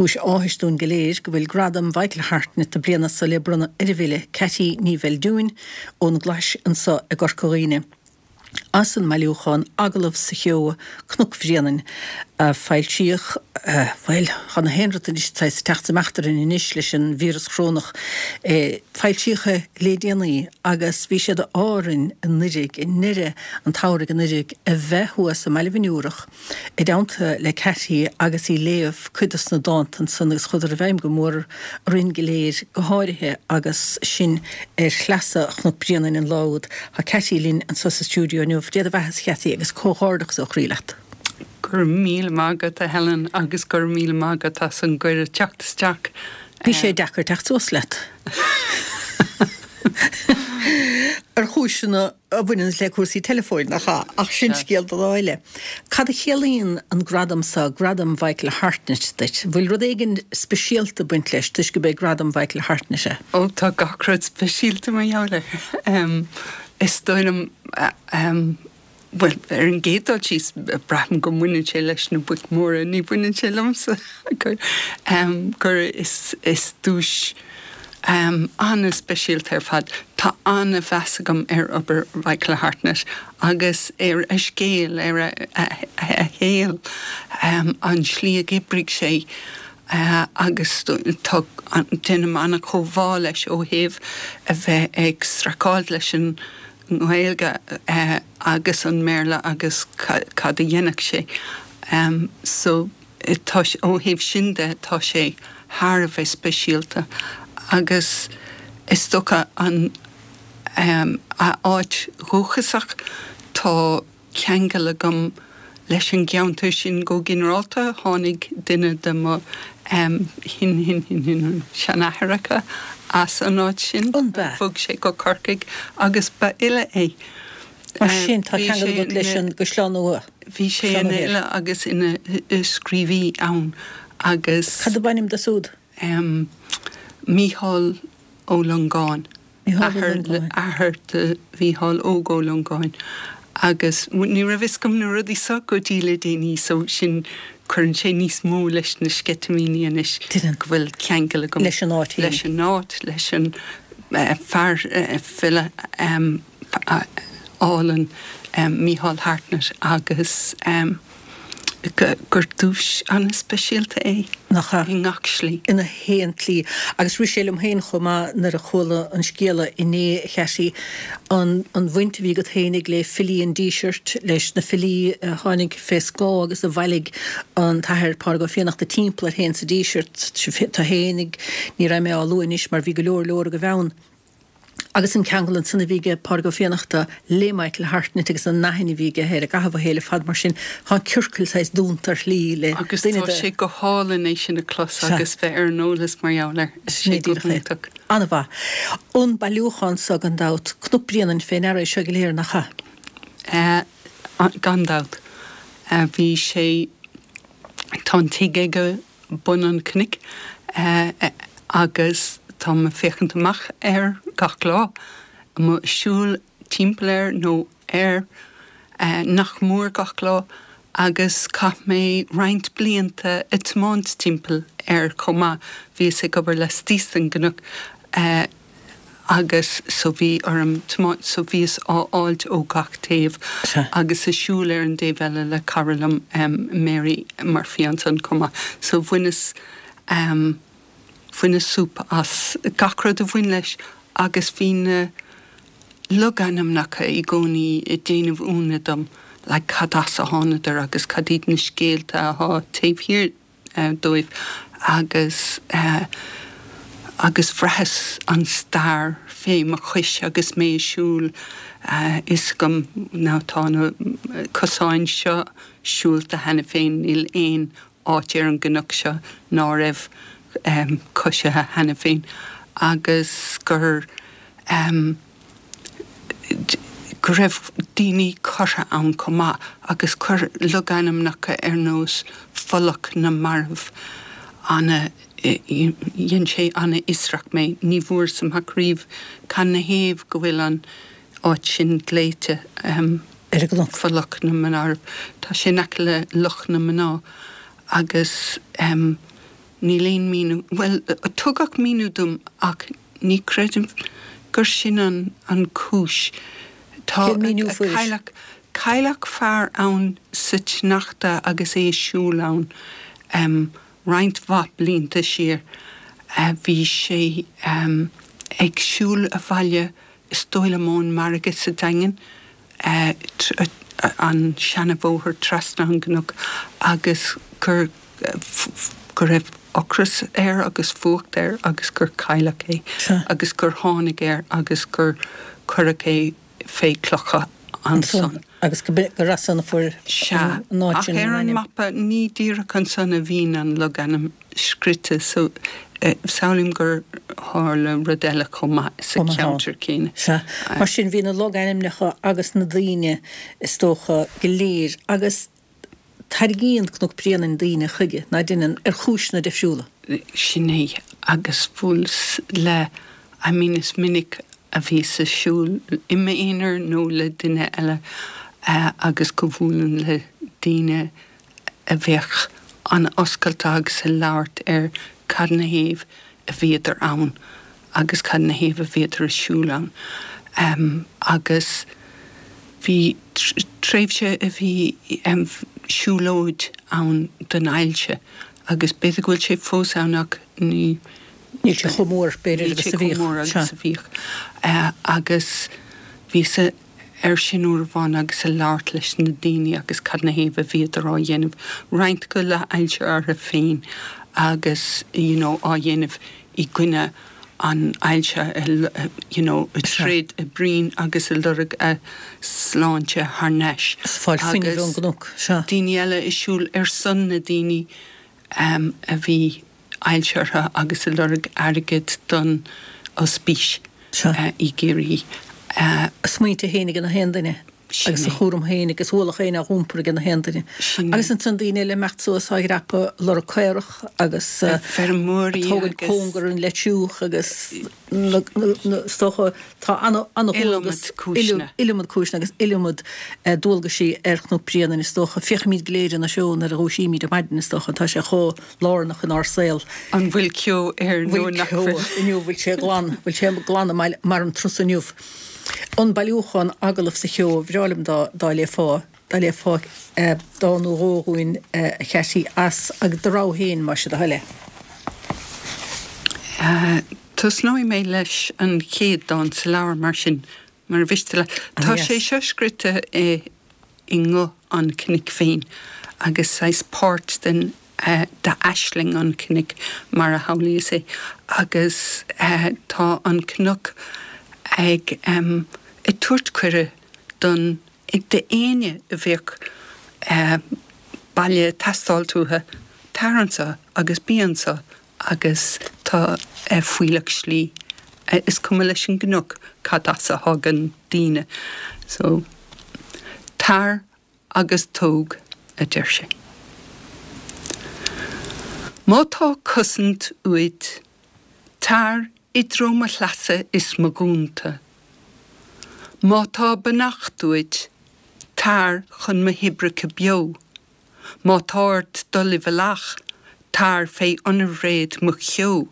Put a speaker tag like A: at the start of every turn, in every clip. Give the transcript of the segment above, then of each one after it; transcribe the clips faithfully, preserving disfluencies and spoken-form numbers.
A: Cúis áthais dúinn go léir go bhfuil Gradam Mhichael Hartnett na bliana seo le bronnadh ar an bhfile Ceaití Ní Bheildiúin ón gClais anseo i gCorca Dhuibhne. As an mbailiúchán Agallamh sa Cheo, Cnoc Bhréanainn, a foilsíodh, bhuel, tá na haon rud anois saghas ag teacht amach orainn anois leis an víreas chorónach, foilsíodh é le déanaí agus bhí sé d'ádh orainn anuraidh, i ndeireadh an tsamhraidh anuraidh, a bheith thuas i mBaile Bhinn Iúrach i dteannta le Ceaití agus í ag léamh cuid dos na dánta ansan agus chuadar i bhfeidhm go mór orainn go léir, go háirithe agus sinn ar shleasa Chnoc Bréanainn an lá úd. Tá Ceaití linn anso sa stiúideo inniu. Dé do bheatha, a Cheaití, agus comhghairdeachas ó chroí leat.
B: Go raibh míle maith agat, a Helen, agus go raibh míle maith agat as an gcuireadh teacht isteach.
A: Bhí sé deacair teacht suas leat. Ar chúiseanna a bhaineann le cúrsaí teileafóin, nach ea? Ach sin scéal do lá eile. Cad a chiallaíonn an gradam seo, Gradam Mhichael Hartnett, duit? Bhfuil rud éigin speisialta ag baint leis toisc gurb é Gradam Mhichael Hartnett é?
B: Ó, tá gach rud speisialta mar gheall air. Is dóigh liom, bhuel, ar an gcéad dul síos, braithim go mbaineann sé leis na boic mhóra, ní bhaineann sé liomsa, gur, gur is, is duais an-speisialta ar fad. Tá an-mheas agam ar obair Mhichael Hartnett agus ar a scéal, ar a, a, a shaol, an tslí a d'oibrigh sé agus tá, déanaim an-chomhbhá leis ó thaobh a bheith ag streachailt leis an nGaeilge agus an mBéarla agus cad a dhéanfadh sé. So tá, ó thaobh sin de, tá sé thar a bheith speisialta agus is dócha an a áit dhúchasach, tá ceangal agam leis an gceantar sin go ginearálta. Tháinig duine de mo shin-shin-shin-seanathaireacha as an áit sin. Bhog sé go Corcaigh agus ba fhile é.
A: Mar sin, tá ceangal agat leis an gCaisleán Nua.
B: Bhí sé ina fhile agus ina scríobhaí ann agus.
A: Cad ab ainm dó siúd?
B: Mícheál Ó Longáin. Athair do Mhícheál Óg Ó Longáin agus ní raibh fhios agam na rudaí seo go dtí le déanaí so sin cuireann sé níos mó leis na sceitimíní anois go bhfuil ceangal agam
A: leis an áit
B: leis an áit, leis an fear file álainn Mícheál Hartnett agus gur duais an-speisialta
A: é. Nach ea?
B: I ngach slí.
A: I ngach aon tslí. Agus rith sé liom féin chomh maith nuair a chuala an scéala inné, a Cheaití, an an bhaint a bhí agat féinig le filí an Dísirt, leis na filí a tháinig fé scáth agus a bhailigh an tAthair Pádraig Ó Fiannachta timpeall air féin sa Díseart, tú féinig, ní raibh mé á lua anois mar bhí go leor leor agaibh ann. Agus an ceangal ansan a bhí aige Pádraig Ó Fiannachta le Michael Hartnett agus an aithne a bhí aige air i gcaitheamh a shaoil ar fad mar sin, tá an ciorcal saghas dúnta ar shlí le
B: Agus duine tá de. sé go hálainn é sin a chlos Sea. agus bheith ar an eolas mar gheall air. Tá
A: Sin
B: sé
A: é
B: go
A: díreach é.
B: hiontach.
A: An-mhaith. An bailiúchán so gan dabht, Cnoc Bréanainn fé ndeara é seo go léir, nach
B: ea? Gan dabht. Bhí sé, tá an tigh aige bun an chnoic agus táim ag féachaint amach air gach lá, mo siúl timpeall air nó air nach mór gach lá agus chaith mé roinnt blianta ag tiomáint timpeall air chomh maith, bhíos ag obair laistíos den gcnoc. Agus so bhí orm tiomáint, so bhíos á fháilt ó gach taobh agus ag siúl ar an dtaobh eile le cara liom, Mary Murphy ansan chomh maith. So bhaineas, bhaineas súp as gach rud a bhain leis agus bhí na logainmneacha i gcónaí ag déanamh ionadh dom, like cad as a thánadar agus cad iad na scéalta athá taobh thiar dóibh agus agus bhraitheas an stair fé mo chois agus mé ag siúl, fhios agam now tá na cosáin seo siúlta cheana féin, níl aon áit ar an gcnoc seo ná raibh coisithe cheana féin agus gur. go raibh daoine curtha ann chomh maith agus chuir logainmneacha ar nós Folach na Marbh ana, dhein sé ana-fhiosrach mé. Ní bhfuaireas amach riamh cad 'na thaobh go bhfuil an áit sin glaoite
A: ar an gcnoc.
B: Folach na Marbh. Tá sé in aice le Loch na Mná agus. Níl aon míniú, bhuel, tugadh míniú dom ach ní chreidim gur sin an an cúis. Tá
A: Cén míniú a fuairis?
B: Cailleadh cailleadh fear ann sa tsneachta agus é ag siúl ann um, roinnt mhaith blianta siar. Uh, bhí sé um, ag siúl abhaile is dóigh liom ón margadh sa Daingean, uh, tr- uh, an seanabhóthar trasna an gcnoc agus gur go raibh ocras air agus fuacht air agus gur cailleadh é
A: Sea.
B: agus gur tháinig air agus gur cuireadh é fé clocha ansan.
A: Agus go gur as san a fuair
B: Sea,
A: an áit
B: ach
A: sin
B: ar
A: an
B: an
A: ainm.
B: mapa ní díreach ansan a bhíonn an logainm scríte, so eh, samhlaím gur tharla rud eile chomh maith sa
A: Chomh maith ann.
B: cheantar céanna.
A: Sea, mar sin bhí na logainmneacha agus na daoine is dócha go léir agus tarraingíonn Cnoc Bréanainn daoine chuige ná déanann ar chúiseanna difriúla.
B: Sin é agus bhuaileas le I mean is minic a bhíos ag siúl i m'aonar nó le duine eile uh, agus go bhfuaileann le daoine a bheadh an-oscailte agus ag labhairt ar cad ina thaobh a bhíodar ann agus cad ina thaobh a bhíodar ag siúl ann. Um, agus bhí tréimhse a bhí um, siúlóid ann don ailse agus b'fhéidir go bhfuil sé fós ann ach ní
A: Níl sé chomh mór b'fhéidir agus a bhíodh.
B: mór agus a bhíodh. Uh, agus bhíos ar sin uair amháin agus ag labhairt leis na daoine agus cad ina thaobh a bhíodar á dhéanamh roinnt acu le hailse orthu féin agus you know, á dhéanamh i gcoinne an ailse you know, ag troid a bproinn agus ag lorg a sláinte thar n-ais.
A: Fáil fuinnimh ón gcnoc, sea.
B: Daoine eile ag siúl ar son na daoine um, a bhí ailse orthu agus ag lorg airgead don ospís
A: Sea.
B: uh, i gCiarraí. Uh,
A: A smaointe féin ag na haon duine
B: Sin
A: agus a
B: é.
A: chúram féin agus ualach féin á iompar ag na haon duine.
B: Sin é.
A: Agus ansan daoine le imeacht suas á dhreapadh lorg caorach agus uh,
B: feirmeoirí
A: tógaint
B: agus-
A: cóngar an leitiúch agus na- na- na- is dócha tá ana ana
B: Iliomad cúiseanna.
A: iliomad cúiseanna agus iliomad eh, dualgaisí ar Chnoc Bréanainn is dócha féachaimid go léir ina seó nuair a dhúisímid ar maidin is dócha tá sé chomh lárnach inár saol.
B: An bhfuil ceo air nó nach bhfuil?
A: Inniu bhfuil sé glan, bhfuil sé glan mar an truas inniu. An bailiúchán agallamh sa cheo bhreá liom dá dá léifeá dá léifeá eh, dán nó dhó dhúinn eh, a Cheaití as agus do rogha féin más é do thoil é.
B: Uh, Tosnóidh mé leis an chéad dán sa leabhar mar sin mar mhiste le. Tá
A: yes.
B: sé seo scríte i i nguth an chnoic féin agus saghas páirt den uh, d'aisling an chnoic mar a shamhlaíos é agus uh, tá an cnoc ag um, ag tabhairt cuireadh don d'éinne a bheadh uh, baile ag teastáil uathu tar anseo agus bí anseo agus tá uh, fuílleach slí uh, is cuma leis an gcnoc cad as a thagann daoine. So tar agus tóg a deir sé. Má tá cosaint uait, tar i dtreo mo shleasa is mo ghúnta. Má tá beannacht uait, tar chun mo thoibreacha beo. Má tá ort dul i bhfolach, tar fé underbhréid mo cheo.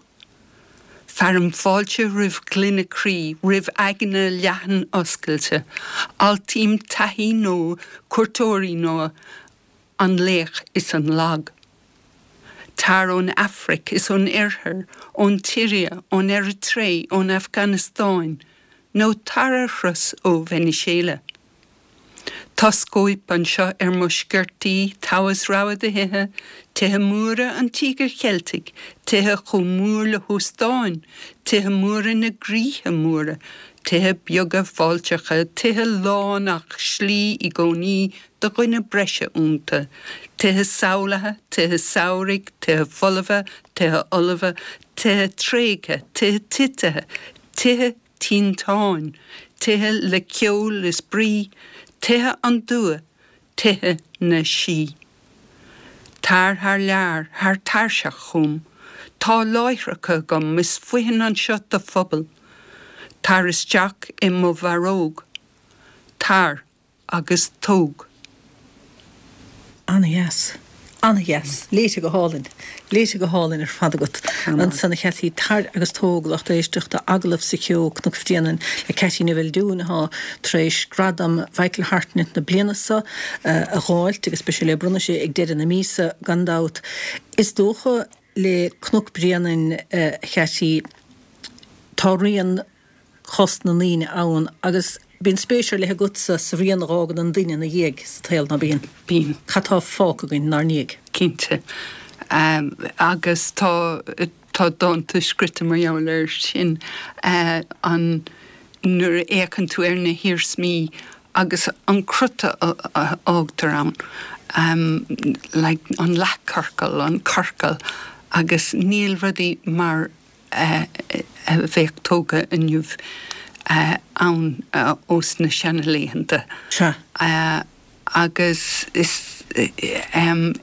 B: Fearaim fáilte roimh glaine croí, roimh aigne leathan oscailte, Altaím taithí nua, cuairteoirí nua, an laoch is an lag. Tar ón Afraic is ón Oirthear, ón tSiria, ón Eiritré, ón Afganastáin, nó tar ar thuras ó Veiniséala. Tá scóip anseo ar mo sciortaí thomhas rogha de thithe, tithe móra an Tíogair Cheiltigh, tithe chomh mór le hóstáin, tithe móra na gcroíthe móra, tithe beaga fáilteacha, tithe lán ach slí i gcónaí do dhuine breise iontu, tithe samhlaithe, tithe samhraidh, tithe folmha, tithe ullamha, tithe tréigthe, tithe titithe, tithe tinteáin, tithe le ceol is brí, tithe an dua, tithe na sí. Tar thar lear, thar tairseach chugam, tá láithreacha agam is fothain anseo do phobal, tar isteach i mo bharróg, tar agus tóg.
A: Ana-dheas. An-dheas. Léite go hálainn. Léite go hálainn ar fad agat. Ansan a Cheaití, tar agus tóg lucht éisteachta Agallamh sa Cheo, Cnoc Bhréanainn le Ceaití Ní Bheildiúin atá tar éis Gradam Mhichael Hartnett na bliana seo a dh'fháilt agus beidh sé le bronnadh sé ag deireadh na míosa gan dabht. Is dócha le Cnoc Bréanainn a Cheaití, tá rian chos na ndaoine ann agus bíonn spéis ar leith agatsa sa rian a dh'fhágann an duine ina dhiaidh sa tsaol, ná bíonn?
B: Bíonn.
A: Cad tá fágtha againn inár ndiaidh?
B: Cinnte. Agus tá, tá dánta scrite mar gheall air sin, an, nuair a fhéachann tú ar na hiarsmaí agus an crut a fhágtar ann, like an leathchiorcal, an ciorcal agus níl rudaí mar a bheadh tógtha inniu ann ós na seanlaethanta.
A: Sea.
B: Agus is aon.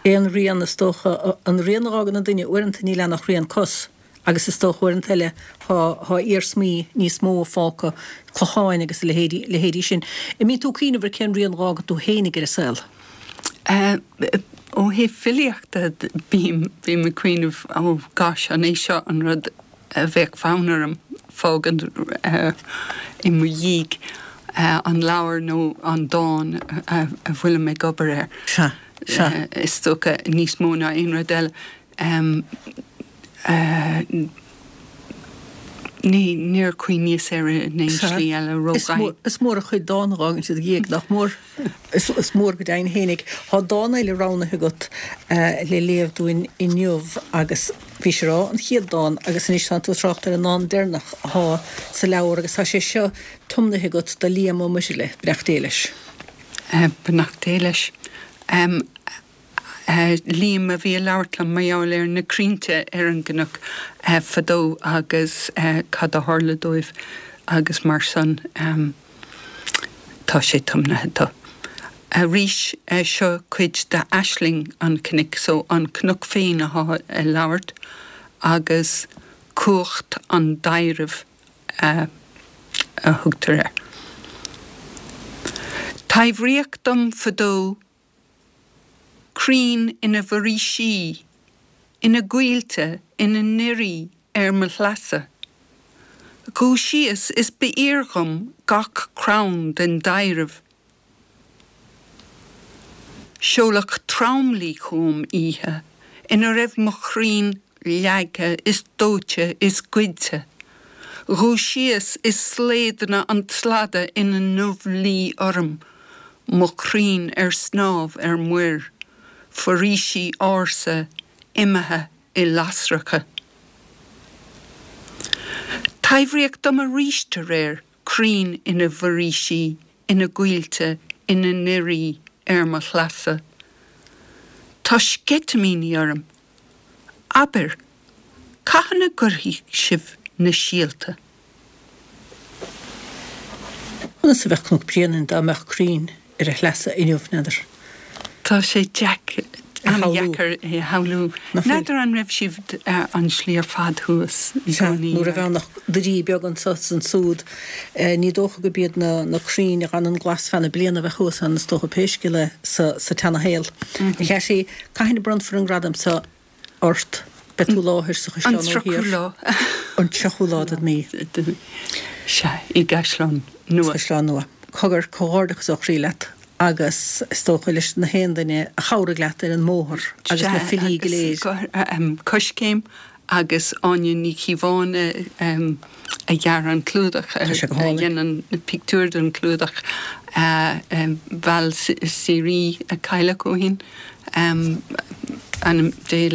A: Aon rian, is dócha, an rian a dh'fhágann an duine, uaireanta níl ann ach rian cos agus is dócha uaireanta eile tá iarsmaí níos mó fágtha, clocháin agus a leithéidí, leithéidí sin. An mbíonn tú ag cuimhneamh ar cén rian a dh'fhágann tú fhéinig ar an saol?
B: Ó thaobh filíochta, bím, bím ag cuimhneamh, oh gosh, an é seo an rud a bheadh fonn orm fágaint i mo dhiaidh, an leabhar nó an dán a bhfuilim ag obair air.
A: Sea, sea.
B: Is dócha níos mó ná aon rud eile. Ní, níor chuimhníos air in aon slí eile rómhaith.
A: Is mór an chuid dán a dh'fhágann siad ina dhiaidh, nach mór? Is mór go deimhin fhéinig. Tá dán eile roghnaithe agat le léamh dúinn inniu agus bhís ag rá an chéad dán agus anois tá tú ag trácht ar an ndán deireanach athá sa leabhar agus tá sé seo tiomnaithe agat do Liam Ó Muirthile, beannacht Dé leis.
B: Beannacht Dé leis. Liam a bhí ag labhairt liom mar gheall ar na crainnte ar an gcnoc fadó agus cad a tharla dóibh agus mar san tá sé tiomnaithe dó. Arís, seo cuid d'aisling an chnoic, so an cnoc féin athá ag labhairt agus cumhacht an taidhrimh a thugtar air. Taibhríodh dom fadó Crainn ina bhforaoisí, ina gcoillte, ina ndoirí ar mo shleasa. Dhúisíos is ba fhíor dhom gach crann den dtaibhreamh. Seoladh tromluí chugam oíche ina raibh mo chrainn leagtha is dóite is goidte. Dhúisíos is slaodanna an tslada ina ndubhluí orm. Mo chrainn ar snámh ar muir, foraoisí ársa imithe i lasracha. Taibhríodh dom aríst aréir crainn ina bhforaoisí, ina gcoillte, ina ndoirí ar mo shleasa. Tá sceitimíní orm. Abair, cathain a gcuirfidh sibh na síolta?
A: Conas a bheadh Cnoc Bréanainn dá mbeadh crainn ar a shleasa inniu, n'fheadar?
B: Tá sé an-deacair é a shamhlú. N'fheadar an raibh siad an slí ar fad thuas i
A: Sea,
B: gcónaí.
A: ní raibh ann ach doirí beaga anso is ansúd. Ní dócha gurb iad na crainn a dh'fhanann glas feadh na bliana a bheadh thuas ann, is dócha, pé scéal é sa tseanashaol. A Cheaití, cathain a bronnfar an gradam seo? ort. Beidh tú i láthair sa Chaisleán
B: An tríochú
A: Thiar.
B: lá.
A: An tríochú lá den mhí.
B: Sea, i gCaisleán Nua.
A: Sa Chaisleán Nua. Cogar, comhghairdeachas ó chroí leat agus is dócha leis na haon duine a chabhraigh leat ar an mbóthar agus na
B: Sea,
A: filí go
B: agus
A: léir.
B: Coiscéim agus Áine Ní Chíobháin a dhear an clúdach,
A: Tá sé go
B: a
A: hálainn.
B: dhein an pictiúr don chlúdach. Val Seery a cailleadh ó shin. Anam Dé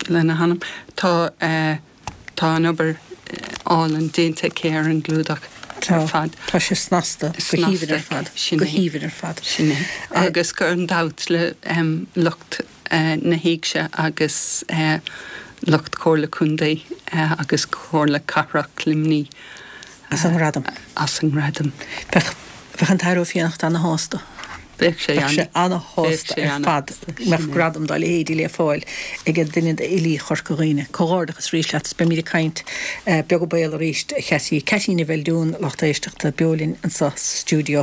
B: lena hanam. Tá tá an obair álainn déanta aici ar an gclúdach ar fad.
A: Tá sé snasta, go haoibhinn ar fad.
B: Sin
A: Go
B: é.
A: haoibhinn ar fad.
B: Sin é. Agus gan dabht le lucht na hÉigse agus lucht Comhairle Contae agus Comhairle Cathrach Luimnigh.
A: As an ngradam.
B: As an ngradam.
A: Bheadh, bheadh an tAire Ó Fiannachta ana-shásta.
B: Bheadh sé
A: Bheadh sé
B: ana-shásta
A: ana-shásta ar fad go mbeadh gradam dá leithéidí le fáil ag duine d'fhilí Chorca Dhuibhne. Comhghairdeachas arís leat is beimid ag caint beag béal arís, a Cheaití. Ceaití Ní Bheildiúin, lucht éisteachta, beo linn anseo sa stiúideo.